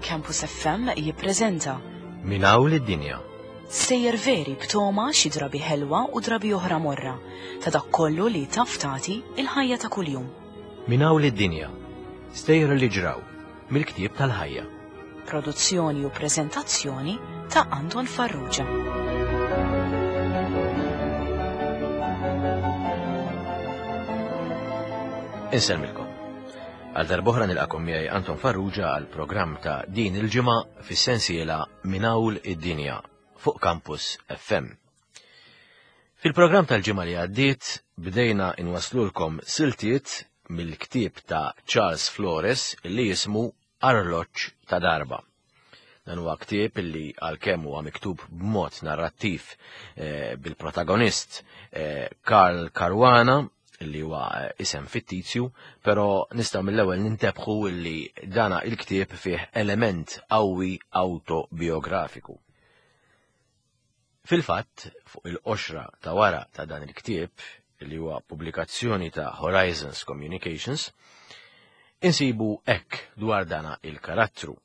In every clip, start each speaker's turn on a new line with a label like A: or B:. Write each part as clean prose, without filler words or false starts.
A: Campus FM jippreżenta
B: Min hawn lid-dinja.
A: Stejjer veri b'toma xi drabi ħelwa u drabi oħra morra ta' dak kollu li taf tagħti il-ħajja ta' kuljum.
B: Min hawn lid-dinja. Stejjer li ġraw mill-ktieb tal-ħajja.
A: Produzzjoni u preżentazzjoni ta' Anton Farrugia.
B: Insellmilkom. Għal darb'oħra nilqakom miegħi Anton Farrugia għal programm ta' din il-ġimgħa fis-sensiela Minn Hawn id-Dinja fuq Campus FM. Fil-programm tal-ġimgħa li għaddiet bdejna inwaslulkom siltiet mill-ktieb ta' Charles Flores li jismu Arloġġ ta' Darba. Dan huwa ktieb li għalkemm huwa miktub b'mod narrattiv eh, bil-protagonist eh, Karl Caruana li huwa eh, isem fittizju, però nistgħu mill-ewwel nintebħu li dana il-ktieb fih element qawwi autobiografiku. Fil-fatt, fuq il-qoxra ta' wara ta' dan il-ktieb, li huwa pubblikazzjoni ta' Horizons Communications, insibu hekk dwar dana il-karattru.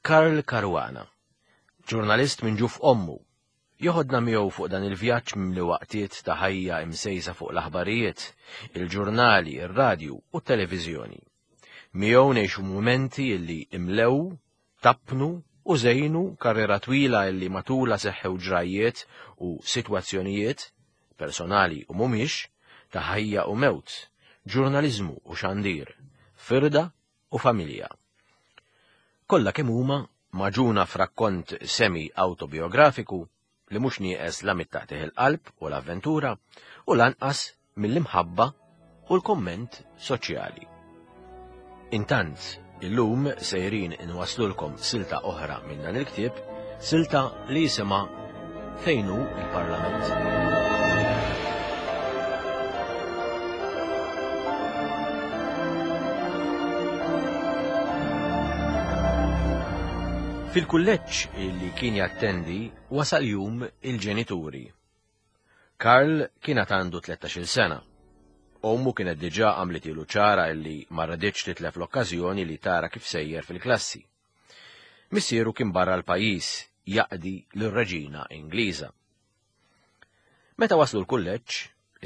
B: Karl Caruana, ġurnalist minn ġuf ommu, joħodna miegħu fuq dan il-vjaġġ mimli waqtiet ta' ħajja imsejsa fuq l-aħbarijiet, il-ġurnali, ir-radju u t-televiżjoni. Miegħu ngħixu mumenti li imlew tappnu u żejnu karriera twila illi matulha seħħew ġrajjiet u sitwazzjonijiet, personali u mhumiex, ta' ħajja u mewt, ġurnaliżmu u xandir, firda u familja. Kollha kemm huma magħġuna f'rakkont semi-awtobiografiku li mhux nieqes la mit-taqtigħ il-qalb u l-avventura u lanqas mill-imħabba u l-kumment soċjali. Intant, illum sejrin inwaslulkom silta oħra minn dan il-ktieb, silta li jisimha Fejn hu l-Parlament? Fil-kulleġġ li kien jattendi wasal jum il-ġenituri. Karl kien għad għandu 13-il sena. Ommu kienet diġà għamlitilu ċara illi ma raditx titlef l-okkażjoni li tara kif sejjer fil-klassi. Missieru kien barra l-pajjiż jaqdi lir-reġina Ingliża. Meta waslu l-kulleġġ,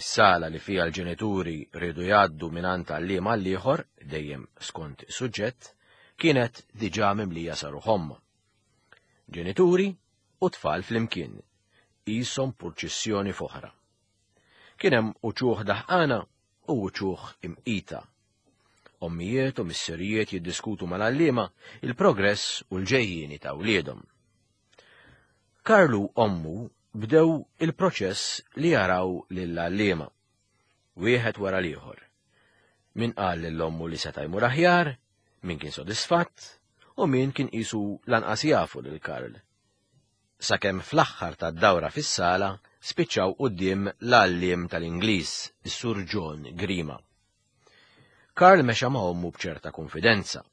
B: is-sala li fiha l-ġenituri riedu jgħaddu mingħand għalliem għal ieħor, dejjem skont is-suġġett, kienet diġà mimlija sa ruħ Ġenituri u tfal flimkien, qishom purċissjoni f'oħra. Kien hemm uċuħ daħqana u uċuħ imqita. Ommijiet u missirijiet jiddiskutu mal-għalliema il-progress u l-ġejjieni ta' wliedhom. Karlu ommu bdew il-proċess li jaraw lill-għalliema, wieħed wara l-ieħor. Min qal lil ommu li seta' jmur aħjar, min kien sodisfatt, u min kien qisu lanqas jafu lil Karl. Sakemm fl-aħħar tad-dawra fis-sala spiċċaw quddiem l-għalliem tal-Ingliż, is-Sur John Grima. Karl mexa ma' ommu b'ċerta kunfidenza.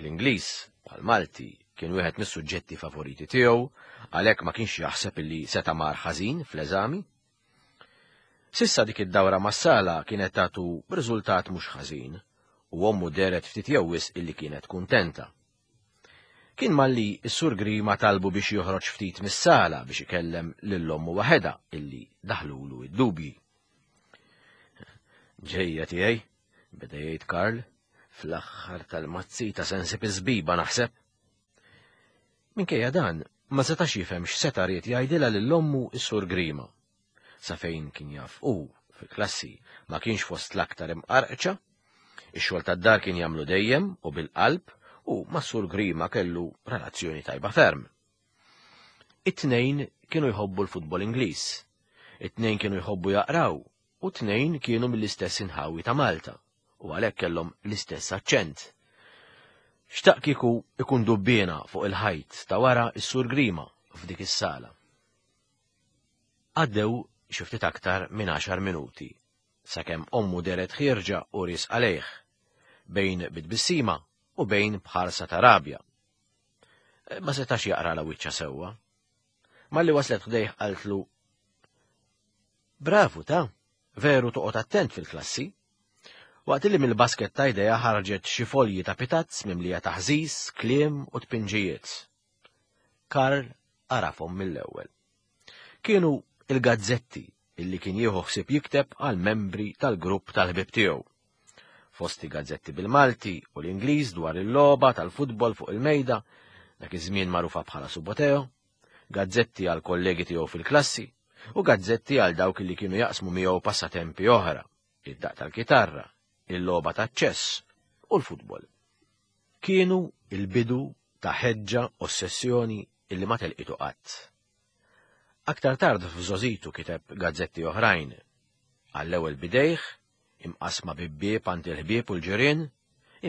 B: L-Ingliż, bħall-Malti, kien wieħed mis-suġġetti favoriti tiegħu, għalhekk ma kienx jaħseb illi seta' mar ħażin fl-eżami. S'issa dik id-dawra mas-sala kienet tagħtu riżultat mhux ħażin, u ommu dehret ftit jew wisq illi kienet kuntenta. Kien malli s-Sur Grima talbu biex joħroġ ftit mis-sala biex ikellem lil ommu waħedha illi daħlulu d-dubji. Ġejja tiegħi, beda jgħid Karl, fl-aħħar tal-mazzita se nsib iż-żbiba naħseb. Minkejja dan, ma setax jifhem x'seta' ried jgħidilha lil ommu s-Sur Grima. Sa fejn kien jaf hu, fil-klassi, ma kienx fost l-aktar imqarqċa, ix-xogħol tad-dar kien jagħmlu dejjem u bil-qalb u mas-Sur Grima kellu relazzjoni tajba ferm. It-tnejn kienu jħobbu l-futbol Ingliż, it-tnejn kienu jħobbu jaqraw u t-tnejn kienu mill-istess inħawi ta' Malta u għalhekk kellhom l-istess aċċent. Xtaq kieku ikun dubbiena fuq il-ħajt ta' wara s-Sur Grima f'dik is-sala. Għaddew xi ftit aktar minn għaxar minuti sakemm ommu dehret ħierġa u riesqa lejh, bejn bi tbissima u bejn b'ħarsa ta' rabja. Ma setax jaqralha wiċċha sewwa. Malli waslet ħdejh qaltlu Bravu ta' veru toqgħod attent fil-klassi. Waqt li mill-basket ta' idea ħarġet xi folji ta' pitazz mimlija taħżiż, kliem u tpinġijiet. Karl għarafhom mill-ewwel. Kienu il-gazzetti illi kien jieħu ħsieb jikteb għal membri tal-grupp tal-ħbieb tiegħu. Fosti gazzetti bil-Malti u l-Ingliż dwar il-logħba tal-futbol fuq il-mejda, dak iż-żmien magħrufa bħala Suboteo, gazzetti għal kollegi tiegħu fil-klassi u gazzetti għal dawk li kienu jaqsmu miegħu passatempi oħra, id-daq tal-kitarra, il-logħba taċ-ċess u l-futbol. Kienu il-bidu ta' ħeġġa ossessjoni illi ma telqitu qatt. Aktar tard f'żożitu kiteb gazzetti oħrajn. Għall-ewwel bidejh, imqassma bibbieb għand il-ħbieb u l-ġirien,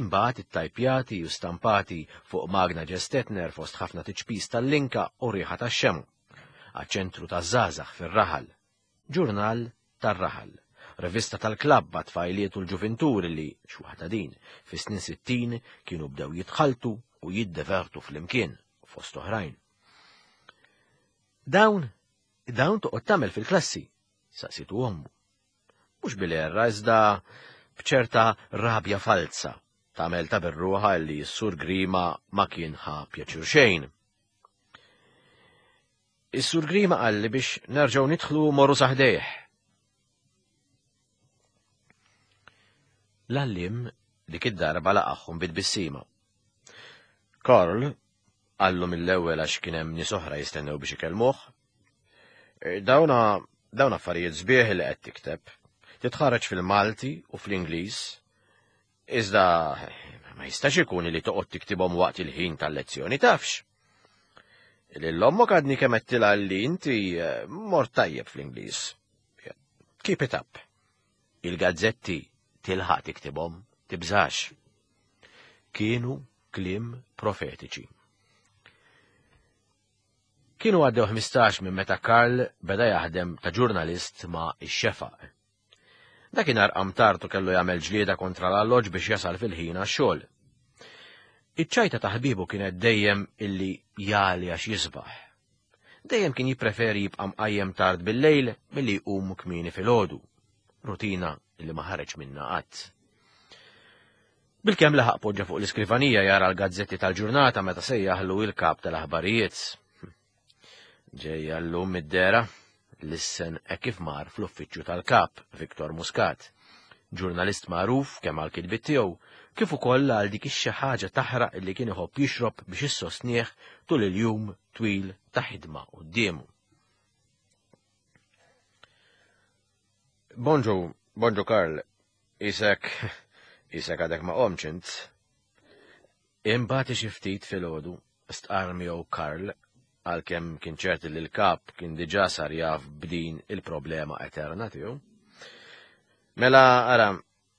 B: imbagħad ittajpjati u stampati fuq magna Gestetner fost ħafna tiċpis tal-linka u riħa tax-xemgħa, għaċ-ċentru taż-żgħażagħ fir-raħal, ġurnal tar-raħal, rivista tal-klabb għat-tfajliet u l-ġuvinturi li, x'waħda din, fis-snin 60 kienu bdew jitħalltu u jiddevertu flimkien, fost oħrajn. Dawn, dawn toqgħod tagħmel fil-klassi, saqsitu ommu. Mhux bil-erra iżda b'ċerta rabja falza tagħmel ta' berruħa li s-sur Grima ma kien ħa pjaċir xejn. Is-sur Grima qalli biex nerġgħu nidħlu morru saħdejh. L-għallim dik id-darba laqagħhom bit-tbissima. Karl, qallu mill-ewwel għax kien hemm nies oħra jistennew biex ikellmuh. E, dawna dawn affarijiet sbieħ li qed tikteb. Titħarreġ fil-Malti u fl-Ingliż. Iżda ma jistax ikun li toqgħod tiktibhom waqt il-ħin tal-lezzjoni tafx. Lil ommok għadni kemm għedtilha li inti eh, mort tajjeb fl-Ingliż. Keep it up. Il-gazzetti tilħaq tiktibhom, tibżax. Kienu kliem profetiċi. Kienu għaddew 15 minn meta Karl beda jaħdem ta' ġurnalist ma' ix-xefaq. Dakinhar qam tard u kellu jagħmel ġlieda kontra l-alloġġ biex jasal fil-ħin għax-xogħol. Iċ-ċajta ta' ħbiebu kienet dejjem illi jagħli għax jisbaħ. Dejjem kien jippreferi jibqa' mqajjem tard bil-lejl milli jqum kmieni filgħodu, rutina li ma ħareġ minnha qatt. Bilkemm laħaq poġġa fuq l-iskrivanija jara l-gazzetti tal-ġurnata meta sejjaħlu il-kap tal-aħbarijiet. Ġejja llum mid-dehra, lissen hekk kif mar fl-uffiċċju tal-Kap, Victor Muscat, ġurnalist magħruf kemm għall-kitbiet tiegħu, kif ukoll għal dik ix-xi ħaġa taħraq li kien iħobb jixrob biex issostnih tul il-jum twil ta' ħidma quddiemu. Bonġu, bonġu Karl, isek, isek għadek ma qomx int. Imbagħad xi ftit filgħodu, stqarr miegħu Karl, għalkemm kien ċert li l-kap kien diġà sar jaf b'din il-problema eterna tiegħu. Mela, ara,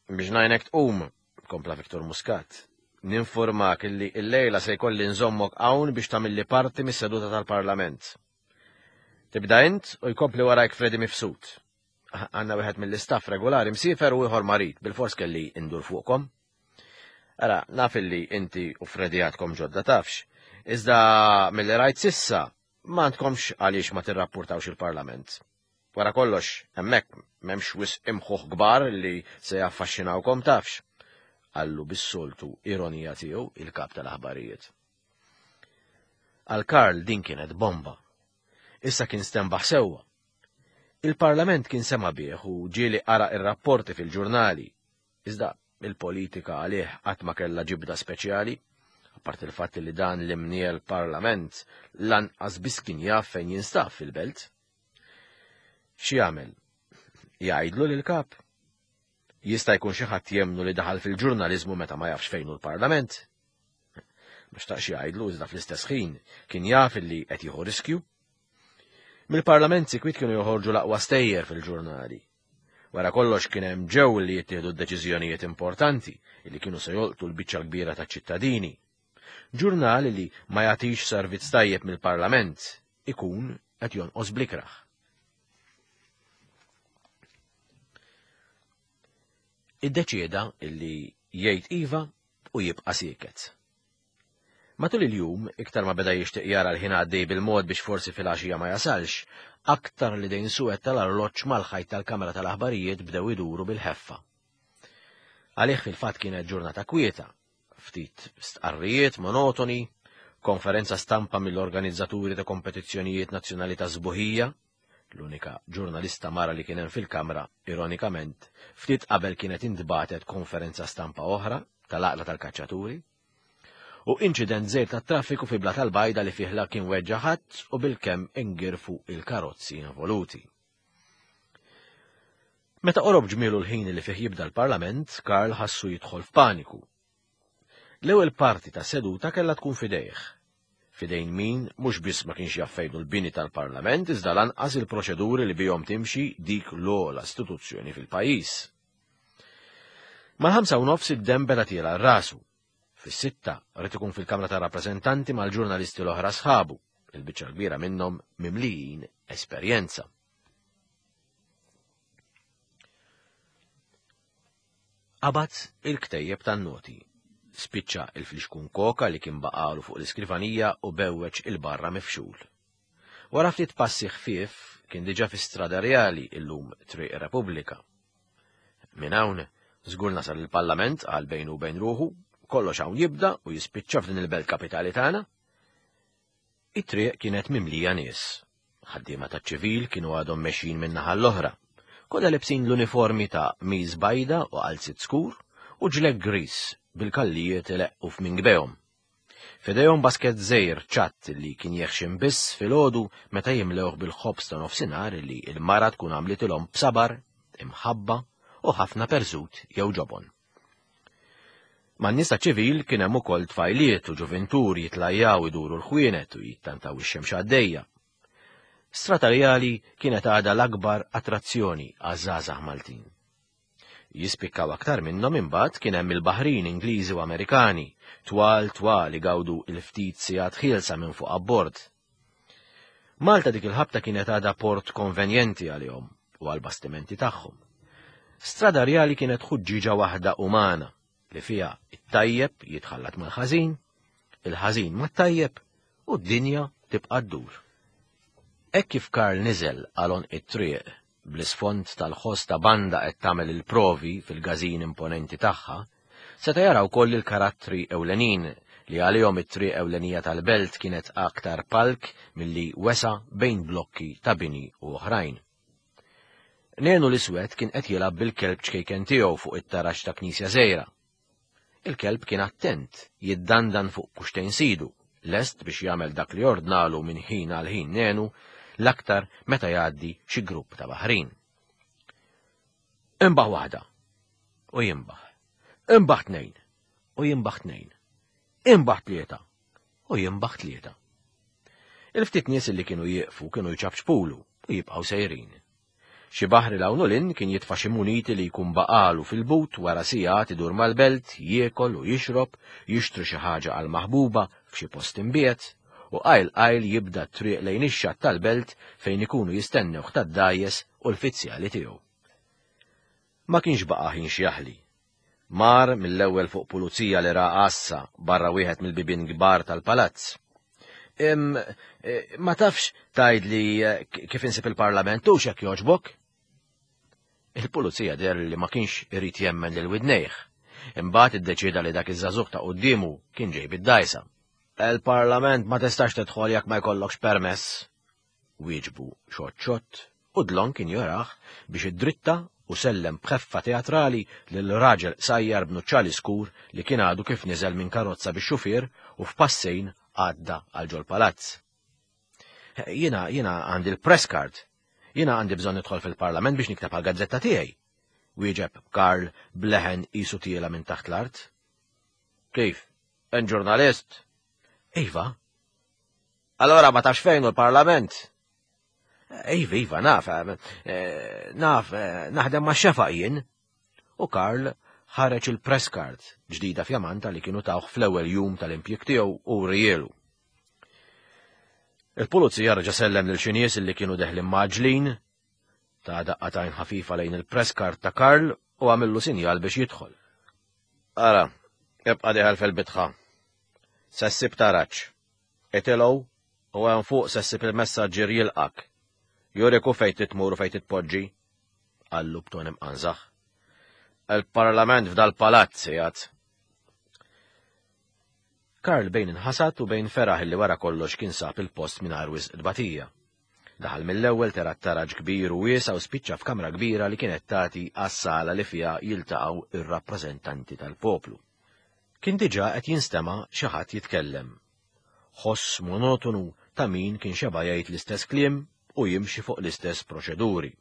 B: biex ngħinek tqum, kompla Victor Muscat, ninformak illi l-lejla se jkolli nżommok hawn biex tagħmilli parti mis-seduta tal-Parlament. Tibda int u jkompli warajk Freddy Mifsud. Għandna wieħed mill-istaff regolari msiefer u ieħor marid, bilfors kelli indur fuqkom. Ara, naf illi inti u Freddy għadkom ġodda tafx, iżda milli rajt sissa ma għandkomx għaliex ma tirrappurtawx il-Parlament. Wara kollox, hemmhekk m'hemmx wisq imħuħ kbar li se jaffaxxinawkom tafx, qallu bis-soltu ironija tiegħu il-kap tal-aħbarijiet. Għal Karl din kienet bomba. Issa kien stenbaħ sewwa. Il-Parlament kien sema' bih u ġieli qara ir-rapporti fil-ġurnali, Iżda il-politika għalih qatt ma kellha ġibda speċjali, apparti il-fatt li dan l-imniel parlament lanqas biss kien jaf fejn jinstab fil-belt. X'jagħmel? Jgħidlu lil kap? Jista' jkun xi ħadd jemnu li daħal fil-ġurnaliżmu meta ma jafx fejn hu l-parlament? Ma xtaqx jgħidlu iżda fl-istess ħin kien jaf li qed jieħu riskju. Mill-parlament sikwit kienu joħorġu l-aqwa stejjer fil-ġurnali. Wara kollox kien hemm ġew li jittieħdu deċiżjonijiet importanti li kienu se jolqtu l-biċċa l-kbira taċ-ċittadini. Ġurnal li ma jagħtix servizz tajjeb mill-Parlament ikun qed jonqos blikraħ. Iddeċieda illi jgħid iva u jibqa' sieket. Matul il-jum, iktar ma beda jixtieq jara l-ħin għaddej bil-mod biex forsi filgħaxija ma jasalx, aktar li dejn suwed tal-arloġġ mal-ħajt tal-kamra tal-aħbarijiet bdew iduru bil-ħeffa. Għalih fil-fatt kienet ġurnata kwieta, ftit stqarrijiet monotoni, konferenza stampa mill-organizzaturi ta' kompetizzjonijiet nazzjonali ta' sbuħija, l-unika ġurnalista mara li kien hemm fil-kamra, ironikament, ftit qabel kienet intbagħtet konferenza stampa oħra tal-għaqda tal-kaċċaturi, u inċident żgħir tat-traffiku fi Blat tal-Bajda li fih la kien weġġa' ħadd u bilkemm ingirfu il-karozzi involuti. Meta qorob ġmielu l-ħin li fih jibda l-Parlament, Karl ħassu jidħol f'paniku. L-ewwel parti ta' seduta kellha tkun f'idejh. F'idejn min mhux biss ma kienx jaf fejn hu l-bini tal-Parlament iżda lanqas il-proċeduri li bihom timxi dik l-ogħla istituzzjoni fil-pajjiż. Mal-ħamsa u nofs id-demm beda tiela' rasu. Fis-sitta ried ikun fil-Kamra tar-Rappreżentanti mal-ġurnalisti l-oħra sħabu, il-biċċa l-kbira minnhom mimlijin esperjenza. Qabad il-ktejjeb tan-noti, spiċċa il-flixkun koka li kien baqalu fuq l-iskrivanija u bewweġ il-barra mifxul. Wara ftit passi ħfief kien diġà fi Strada Reali illum Triq ir-Repubblika. Minn hawn, żgur nasal il-Parlament qal bejnu u bejn ruħu, kollox hawn jibda u jispiċċa f'din il-belt kapitali tagħna. It-triq kienet mimlija nies. Ħaddiema taċ-ċivil kienu għadhom mexjin min-naħa l-oħra. Kollha lebsin l-uniformi ta' qmis bajda u qalziet skur u ġlekk griż bil-kallijiet ileqqu f'mingbehom. F'idejhom basket żgħir ċatt li kien jeħxin biss filgħodu meta jimlewh bil-ħobż ta' nofsinhar li l-mara tkun għamlitilhom b'sabar, imħabba u ħafna perżut jew ġobon. Man-nies taċ-ċivil kien hemm ukoll tfajliet u ġuvintur jitlajjaw iduru l-ħwienet u jittantaw ix-xemx għaddejja. Strata Reali kienet għadha l-akbar attrazzjoni għaż-żgħażagħ Maltin. Jispikkaw aktar minnhom imbagħad kien hemm il-baħrin Ingliżi u Amerikani, twal twal igawdu il-ftit sigħat ħielsa minn fuq abbord. Malta dik il-ħabta kienet għadha port konvenjenti għalihom u għall-bastimenti tagħhom. Strada Rjali kienet ħuġġieġa waħda umana li fiha it-tajjeb jitħallat mal-ħażin, il-ħażin mat-tajjeb u d-dinja tibqa' ddur. Hekk kif Karl niżel għal għonq it-triq bl-isfond tal-ħoss ta' banda qed tagħmel il-provi fil-każin imponenti tagħha, seta' jara wkoll il-karattri ewlenin li għalihom it-triq ewlenija tal-belt kienet aktar palk milli wesgħa bejn blokki ta' bini u oħrajn. Nenu l-Iswed kien qed jilgħab bil-kelb ċkejken tiegħu fuq it-taraġ ta' knisja żgħira. Il-kelb kien attent, jiddandan fuq kuxtejn sidu, lest biex jagħmel dak li ordnalu minn ħin għal ħin Nenu, l-aktar meta jgħaddi xi grupp ta' baħrin. Imbaħ waħda, u jimbaħ. Imbaħ tnejn, u jimbaħ tnejn. Imbaħ tlieta, u jimbaħ tlieta. Il-ftit nies li kienu jieqfu kienu jċapċpulu u jibqgħu sejrin. Xi baħri 'l hawn u 'l hinn kien jitfa' xi muniti li jkun baqagħlu fil-but wara sigħat idur mal-belt, jiekol u jixrob, jixtri xi ħaġa għall-maħbuba f'xi post imbiegħed, u qajl qajl jibda t-triq lejn ix-xatt tal-belt fejn ikunu jistennewh tad-dgħajjes u l-fizzjali tiegħu. Ma kienx baqa' ħin x'jaħli. Mar mill-ewwel fuq pulizija li ra għassa barra wieħed mill-bibien kbar tal-palazz. Im, eh, ma tafx tgħidli eh, kif insib il-parlament u x'hekk jogħġbok? Il-pulizija deher li ma kienx irid jemmen lil widnejh. Imbagħad iddeċieda li dak iż-żagħżugħ ta' quddiemu kien ġej bid-dgħajsa. Il-parlament ma tistax tidħol jekk ma jkollokx permess, Wieġbu xott xott u dlonk injorah biex iddritta u sellem b'ħeffa teatrali lil raġel qsajjar b'nuċċali skur li kien għadu kif niżel minn karozza bix-xufier u f'passejn għadda għal ġol-palazz. Jiena, jiena għandi l-press card. Jiena għandi bżonn nidħol fil-parlament biex nikteb għall-gazzetta tiegħi. Wieġeb Karl b'leħen qisu tiela minn taħt l-art. Kif? Int ġurnalist? Iva, Allora ma tafx fejn hu l-Parlament? Iva, iva, naf, eh, naf, eh, naħdem ma' xefaq jien. U Karl ħareġ il-press card ġdida fjamanta li kienu tawh fl-ewwel jum tal-impjieg tiegħu u rielu. Il-pulizija reġa' sellem lil xi nies li kienu deħlin maġlin, ta' daqqa tajn ħafifa lejn il-press card ta' Karl u għamillu sinjal biex jidħol. Ara, ibqa' diħel fil-bitħa. Se ssib taraġ. Itilgħu u hemm fuq se ssib il-messaġġier jilqgħek. Jurik hu fejn trid tmur u fejn trid tpoġġi, qallu b'ton imqanżaħ. Il-Parlament f'dal-palazz qiegħed. Karl bejn inħasad u bejn feraħ li wara kollox kien sab il-post mingħajr wisq tbatija. Daħal mill-ewwel tera t-taraġ kbir u wiesa' u spiċċa f'kamra kbira li kienet tagħti għas-sala li fiha jiltaqgħu ir-rappreżentanti tal-poplu. Kien diġà qed jinstema' xi ħadd jitkellem. Ħoss monotonu ta' min kien xeba' jgħid l-istess kliem u jimxi fuq l-istess proċeduri.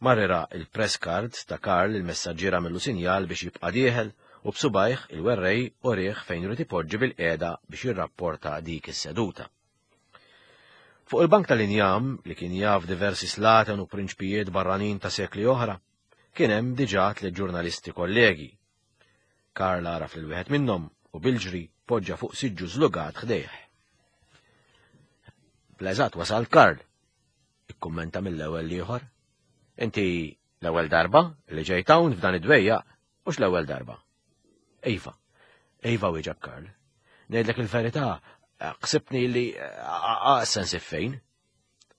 B: Mar ra l-press card ta' Karl il-messaġġier għamillu sinjal biex jibqa' dieħel u b'subgħajh il-werrej urieh fejn irid ipoġġi bilqiegħda biex jirrapporta dik is-seduta. Fuq il-bank tal-injam, li kien jaf diversi slaten u prinċpijiet barranin ta' sekli oħra, kien hemm diġà tliet ġurnalisti kollegi. Karl għaraf lil wieħed minnhom u bil-ġri poġġa fuq siġġu żlugat ħdejh. Bl-eżatt wasalt Karl, ikkummenta mill-ewwel l-ieħor. Inti l-ewwel darba li ġejt hawn f'dan id-dwejjaq, mhux l-ewwel darba. Iva, iva wieġeb Karl. Ngħidlek il-verità, ħsibtni li aqsen fejn.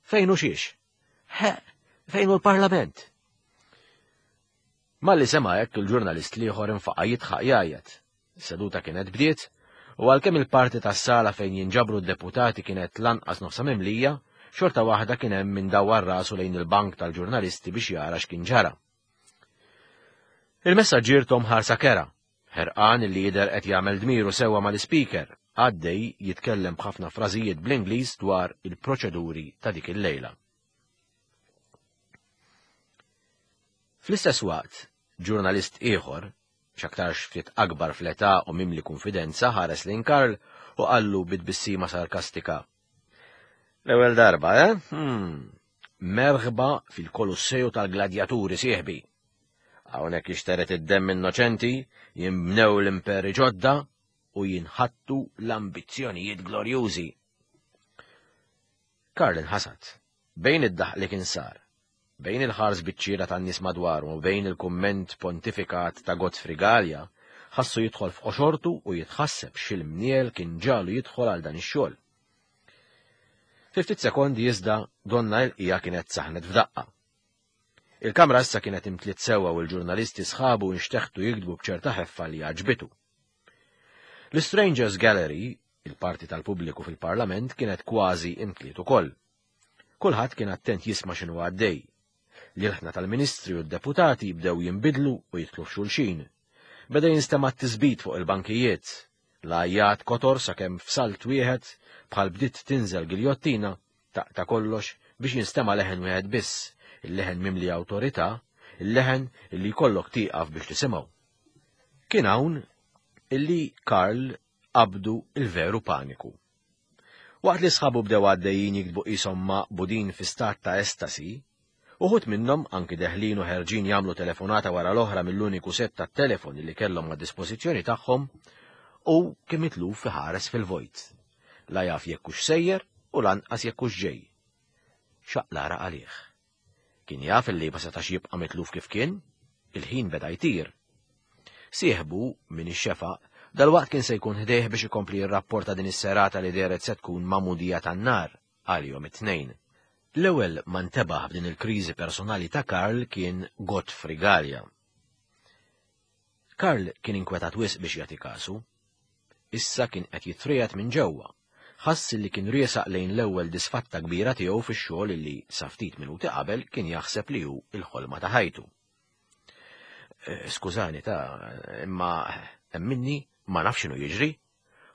B: Fejn u xiex? He, fejn hu l-Parlament? Malli sema' hekk il-ġurnalist l-ieħor infaqa' jidħaq jgħajjat. Is-seduta kienet bdiet u għalkemm il-parti tas-sala fejn jinġabru d-deputati kienet lanqas nofsha mimlija, xorta waħda kien hemm min dawwar rasu lejn il-bank tal-ġurnalisti biex jara x'kien ġara. Il-messaġġier tom ħarsa kerha, ħerqan li jidher qed jagħmel dmiru sewwa mal-ispeaker, għaddej jitkellem b'ħafna frażijiet bl-Ingliż dwar il-proċeduri ta' dik il-lejla. Fl-istess waqt, ġurnalist ieħor, x'aktarx ftit akbar fl-età u mimli kunfidenza ħares lejn Karl u qallu bi tbissima sarkastika, L-ewwel darba, eh? Hmm. Merħba fil-Kolosseju tal-Gladjaturi, sieħbi. Hawnhekk jixteret id-demm innoċenti, jinbnew l-imperi ġodda u jinħattu l-ambizzjonijiet glorjużi. Karl inħasad. Bejn id-daħq li kien sar, bejn il-ħars biċ-ċiera tan-nies madwaru u bejn il-kumment pontifikat ta' Godfrey Galea, ħassu jidħol f'qoxortu u jitħasseb x'il-mniel kien ġagħlu jidħol għal dan ix-xogħol. Fi ftit sekondi iżda donnha il-qiegħa kienet saħnet f'daqqa. Il-kamra issa kienet imtliet sewwa u l-ġurnalisti sħabu inxteħtu jiktbu b'ċerta ħeffa li għaġbitu. L-Strangers Gallery, il-parti tal-pubbliku fil-Parlament, kienet kważi imtliet ukoll. Kulħadd kien attent jisma' x'inhu għaddej. L-ilħna tal-ministri u d-deputati bdew jinbidlu u jidħlu f'xulxin. Beda jinstema' t-tisbit fuq il-bankijiet. L-għajjat kotor sakemm f'salt wieħed, bħal bdiet tinżel giljottina, taqta' kollox biex jinstema' leħen wieħed biss, il-leħen mimli awtorità, il-leħen illi jkollok tieqaf biex tisimgħu. Kien hawn illi Karl qabdu l-veru paniku. Waqt li sħabu bdew għaddejjin jiktbu qishom maqbudin fi stat ta' estasi, uħud minnhom anki deħlin u ħerġin jagħmlu telefonata wara l-oħra mill-uniku sett tat-telefon li kellhom għad-dispożizzjoni tagħhom, hu kien mitluf iħares fil-vojt. La jaf jekk hux sejjer u lanqas jekk hux ġej. Xaqlara għalih. Kien jaf illi ma setax jibqa' mitluf kif kien, il-ħin beda jtir. Sieħbu, min ix-xefaq, dalwaqt kien se jkun ħdejh biex ikompli jirrapporta din is-serata li dehret se tkun magħmudija tan-nar għalihom it-tnejn. L-ewwel ma ntebaħ b'din il-kriżi personali ta' Karl kien Godfrey Galea. Karl kien inkwetat wisq biex jagħti kasu. Issa kien qed jitriegħed minn ġewwa. Ħass li kien riesaq lejn l-ewwel disfatta kbira tiegħu fix-xogħol illi sa ftit minuti qabel kien jaħseb li hu l-ħolma ta' ħajtu. Eh, skużani ta' imma emminni ma nafx x'inhu jiġri.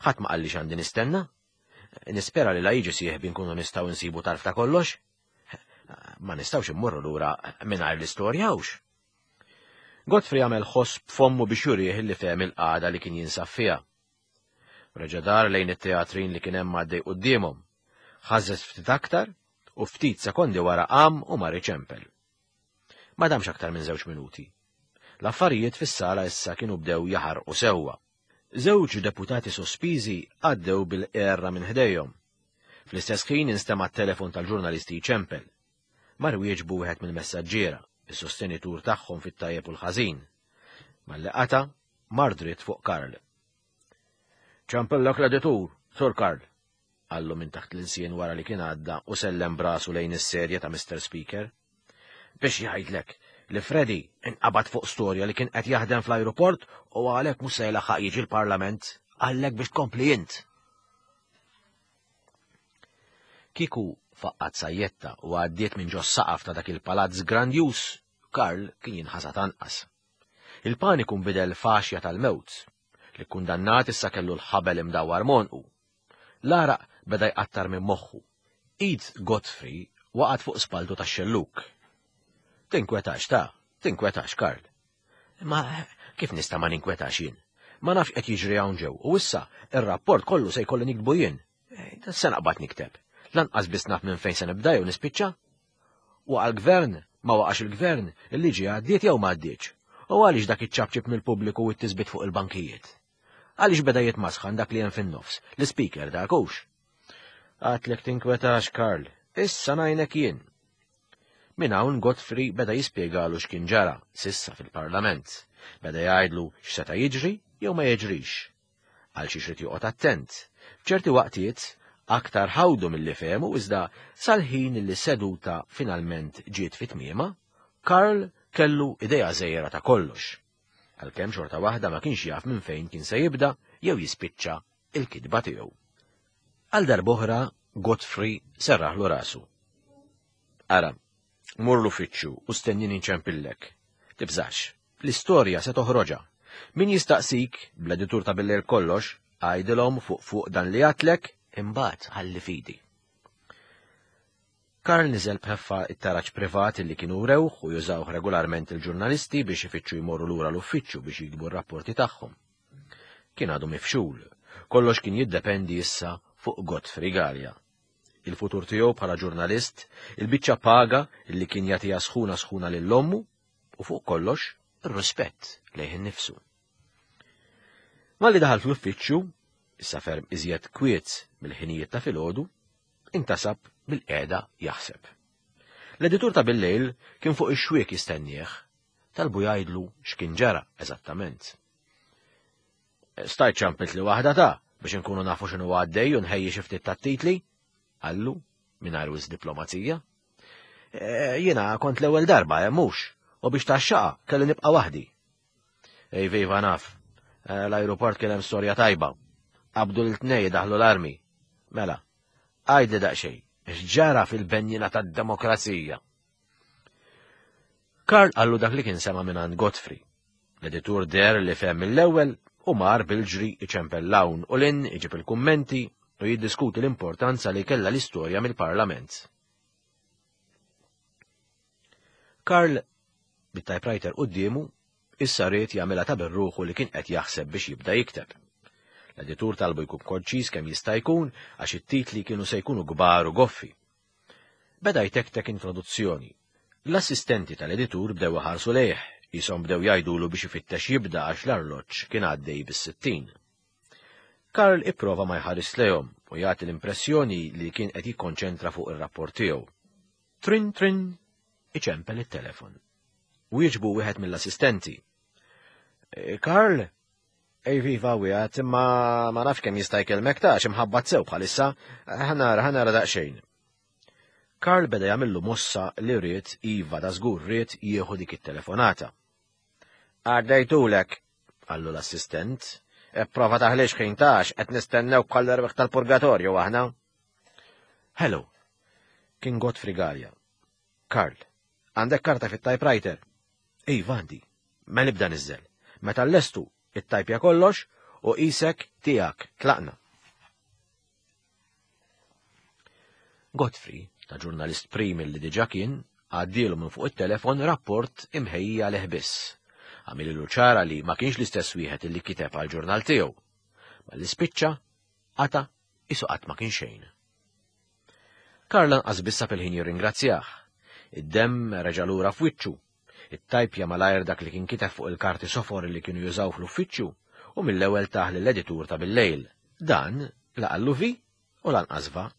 B: Ħadd ma qalli x'għandi nistenna. Nispera li la jiġi sieħbi nkunu nistgħu nsibu tarf ta' kollox. Ma nistgħux immorru lura mingħajr l-istorja hux. Godfrey għamel ħoss b'fommu biex jurih li fehem il-qagħda li kien jinsab fiha. Reġa' dar lejn it-teatrin li kien hemm għaddej quddiemhom. Ħażżeż ftit aktar u ftit sekondi wara qam u mar iċempel. Ma damx aktar minn żewġ minuti. L-affarijiet fis-sala issa kienu bdew jaħarqu sewwa. Żewġ deputati sospiżi għaddew bil-qerra minn ħdejhom. Fl-istess ħin instema' t-telefon tal-ġurnalisti jċempel. Mar wieġbu wieħed mill-messaġġiera, is-sostenitur tagħhom fit-tajjeb u l-ħażin. Malli qata', mar dritt fuq Karl. Ċempillek l-editur, Sur Karl, qallu minn taħt l-ilsien wara li kien għadda u sellem brasu lejn is-sedja ta' Mr. Speaker. Biex jgħidlek li Freddy inqabad fuq storja li kien qed jaħdem fl-ajruport u għalhekk mhux se jlaħħaq jiġi l-Parlament, għallek biex tkompli int. Kieku faqqat sajjetta u għaddiet minn ġos saqaf ta' dak il-palazz grandjuż, Karl kien jinħasad anqas. Il-paniku nbidel f'għaxja tal-mewt. L-ikkundannat issa kellu l-ħabel imdawwar m'għonqu. L-għaraq beda jqattar minn moħħu. Id Godfrey waqgħet fuq spalltu tax-xellug. Tinkwetax ta, tinkwetax, Karl. Imma kif nista' ma ninkwetax jien? Ma nafx qed jiġri hawn ġew u issa ir-rapport kollu se jkolli niktbu jien. Eh, se naqbad nikteb. Lanqas biss naf minn fejn se nibda jew nispiċċa. Waqa' l-gvern, ma waqax il-gvern, il-liġi għaddiet jew ma għaddietx. U għaliex dak iċ-ċapċip mill-pubbliku u t-tisbit fuq il-bankijiet? Għaliex beda jitmasħan dak li hemm fin-nofs, l-ispeaker dak hux? Għatlek tinkwetax, Karl, issa ngħinek jien. Minn hawn Godfrey beda jispjegalu x'kien ġara sissa fil-Parlament. Beda jgħidlu x'seta' jiġri jew ma jiġrix. Għal xiex rid joqgħod attent. F'ċerti waqtiet aktar ħawdu milli fehmu iżda sal-ħin li seduta finalment ġiet fi tmiemha, Karl kellu idea żgħira ta' kollox. Għalkemm xorta waħda ma kienx jaf minn fejn kien se jibda jew jispiċċa il-kitba tiegħu. Għal darb'oħra Godfrey serraħlu rasu. Ara, mur l-uffiċċju u stennini nċempillek. Tibżax, l-istorja se toħroġha. Min jistaqsik, bl-editur ta' billejl kollox, għajdilhom fuq fuq dan li għatlek, imbagħad ħalli fidi. Karl niżel b'ħeffa it-taraġ privat li kienu rewh u jużawh regolarment il-ġurnalisti biex ifittxu jmorru lura l-uffiċċju biex jiktbu r-rapporti tagħhom. Kien għadu mifxul. Kollox kien jiddependi issa fuq Godfrey Galea. Il-futur tiegħu bħala ġurnalist, il-biċċa paga li kien jagħtiha sħuna sħuna lil ommu u fuq kollox ir-rispett lejh innifsu. Malli daħal fl-uffiċċju, issa ferm iżjed kwiet mill-ħinijiet ta' filgħodu, intasab bil-qiegħda jaħseb. L-editur ta' billejl kien fuq ix-xwiek jistennieh, talbu jgħidlu x'kien ġara eżattament. Stajt ċampit li waħda ta' biex inkunu nafu x'inhu għaddej u nħejji xi ftit tat-titli, qallu mingħajr wisq diplomazija. E, jiena kont l-ewwel darba hemm mhux, u biex taxxaqa kelli nibqa' waħdi. Ej viva naf, e, l-ajruport kien hemm storja tajba. Qabdu l-tnej daħlu l-armi. Mela, għajdi daqsxejn, x'ġara fil-benjina tad-demokrazija? Karl qallu dak li kien sema' mingħand Godfrey. L-editur deher li fehem mill-ewwel u mar bil-ġri iċempel 'l hawn u 'l hinn iġib il-kummenti u jiddiskuti l-importanza li kellha l-istorja mill-Parlament. Karl, bit-typewriter quddiemu, issa ried jagħmilha ta' birruħu li kien qed jaħseb biex jibda jikteb. L-editur talbu jkun konċiż kemm jista' jkun għax it-titli kienu se jkunu kbar u goffi. Beda jtektek introduzzjoni. L-assistenti tal-editur bdew iħarsu lejh, qishom bdew jgħidulu biex ifittex jibda għax l-arloġġ kien għaddej bis-60. Karl ipprova ma jħares lejhom u jagħti l-impressjoni li kien qed jikkonċentra fuq ir-rapport tiegħu. Trin trin iċempel it-telefon. Wieġbu wieħed mill-assistenti. Eh, Karl, Ej viva wieħed, imma ma nafx kemm jista' jkellmek ta' xi sew bħalissa, ħanara ħanara daqsxejn. Karl beda jagħmillu mossa li ried iva da żgur ried jieħu dik it-telefonata. Għaddejtulek, qallu l-assistent, ipprova taħlix ħin tax qed nistennew bħal erwieħ tal-purgatorju aħna. Hello, kien Godfrey Gallia. Karl, għandek karta fit-typewriter? Iva għandi. Mela ibda niżżel. Meta llestu, ittajpja kollox u qisek tiegħek tlaqna. Godfrey, ta' ġurnalist prim li diġà kien, għaddielu minn fuq it-telefon rapport imħejji għalih biss. Għamililu ċara li ma kienx l-istess wieħed li kiteb għall-ġurnal tiegħu. Malli spiċċa, qata' qisu qatt ma kien xejn. Karl lanqas biss sab il-ħin jirringrazzjah. Id-demm reġa' lura f'wiċċu. Ittajpja malajr dak li kien kiteb fuq il-karti sofor li kienu jużaw fl-uffiċċju u mill-ewwel tah lill-editur ta' billejl. Dan la qallu vi u lanqas va.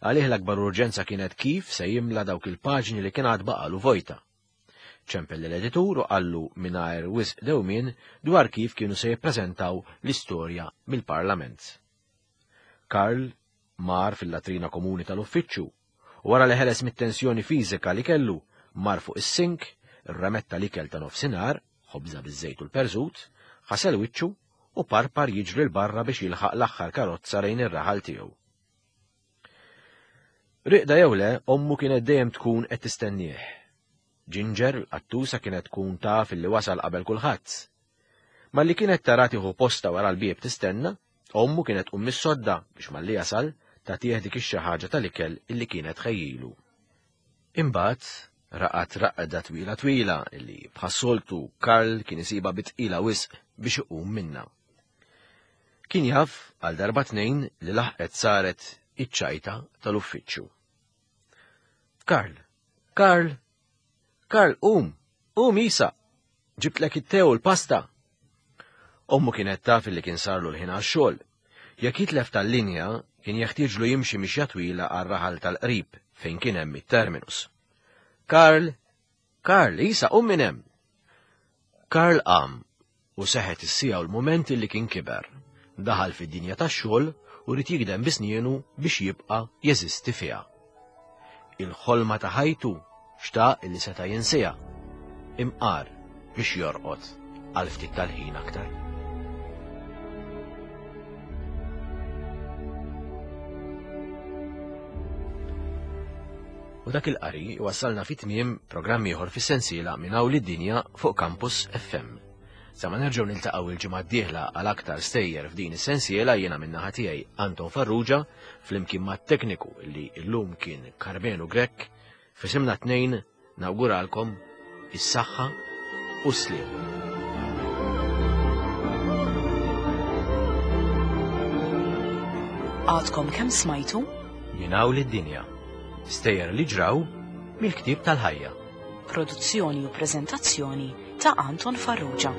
B: Għalih l-akbar urġenza kienet kif se jimla dawk il-paġni li kien għad baqalu vojta. Ċempel lill-editur u qallu mingħajr wisq dewmien dwar kif kienu se jippreżentaw l-istorja mill-Parlament. Karl mar fil-latrina komuni tal-uffiċċju u wara li ħeles mit-tensjoni fiżika li kellu, mar fuq is-sink, Irrametta l-ikel ta' nofsinhar, ħobża biż-żejt u l-perżut, ħasel wiċċu u parpar jiġri 'l barra biex jilħaq l-aħħar karozza lejn ir-raħal tiegħu. Riqda jew le, ommu kienet dejjem tkun qed tistennieh. Ginger, l-qattusa kienet tkun taf illi wasal qabel kulħadd. Malli kienet tara tieħu postha wara l-bieb tistenna, ommu kienet tqum mis-sodda biex malli jasal tagħtih dik ix-xi ħaġa tal-ikel illi kienet tħejjilu. Imbagħad raqad raqda twila twila illi bħas-soltu Karl kien isibha bi tqila wisq biex iqum minnha. Kien jaf għal darba tnejn li laħqet saret iċ-ċajta tal-uffiċċju. Karl, Karl, Karl, qum, qum isa! Ġibtlek it-te u l-pasta! Ommu kienet taf li kien sarlu l-ħin għax-xogħol. Jekk jitlef tal-linja, kien jeħtieġlu jimxi mixja twila għar-raħal tal-qrib fejn kien hemm it-terminus. Karl, Karl, isa, qum minn hemm! Karl qam u seħet is-siegħa u l-mument li kien kiber, daħal fid-dinja tax-xogħol u ried jigdem bi snienu biex jibqa' jeżisti fiha. Il-ħolma ta' ħajtu xtaq li seta' jinsiha, imqar biex jorqod għal ftit tal-ħin aktar. U dak il-qari wassalna fi tmiem programm ieħor fis-sensiela minn hawn lid-dinja fuq Campus FM. Sa ma nerġgħu niltaqgħu il-ġimgħa d-dieħla għal aktar stejjer f'din is-sensiela jiena min-naħa tiegħi Anton Farrugia flimkien mat-tekniku li llum kien Karmenu Grech f'isimna tnejn Nawguralkom is-saħħa u s-sliem.
A: Għadkom kemm smajtu?
B: Minn hawn lid-dinja. Stejjer li ġraw mill-ktieb tal-ħajja.
A: Produzzjoni u preżentazzjoni ta' Anton Farrugia.